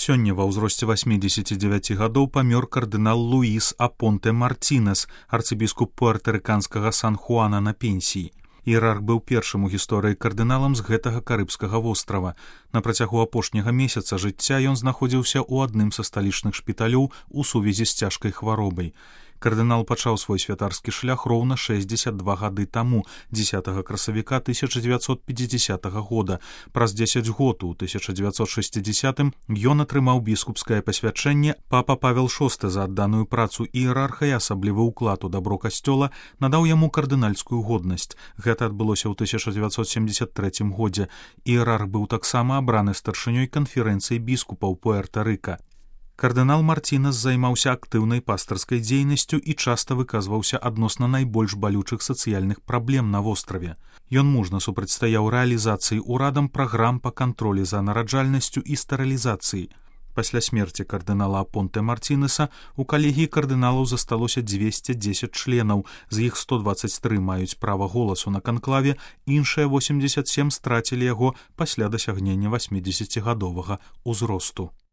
Сёння ва ўзросце 89 гадоў памёр кардынал Луіс Апонте Мартинес, арцыбіскуп пуэртарыканскага Сан-Хуана на пенсіі. Іерарх быў першым у гісторыі кардыналам з гэтага карыбскага вострава. На працягу апошняга месяца жыцця ён знаходзіўся ў адным са сталічных шпіталёў у сувязі з цяжкай хваробай. Кардынал пачаў свой святарскі шлях роўна 62 гады таму, 10 красавіка 1950 года. Праз 10 год, у 1960 ён атрымаў біскупскае пасвячэнне. Папа Павел VI за адданую працу іерарха і асаблівы ўклад у дабро касцёла надаў яму кардынальскую годнасць. Гэта адбылося ў 1973 годзе. Іерарх быў таксама абраны старшынёй канферэнцыі біскупаў Пуэрта-Рыка. Кардынал Мартинес займаўся актыўнай пастырскай дзейнасцю і часта выказваўся адносна найбольш балючых сацыяльных праблем на востраве. Ён мужна супрацьстаяў рэалізацыі ўрадам праграм па кантролі за нараджальнасцю і стэрылізацыі. Пасля смерці кардынала Апонте Мартинеса у калегіі кардыналаў засталося 210 членаў, з іх 123 маюць права голасу на канклаве, іншыя 87 страцілі яго пасля дасягнення 80-гадовага ўзросту.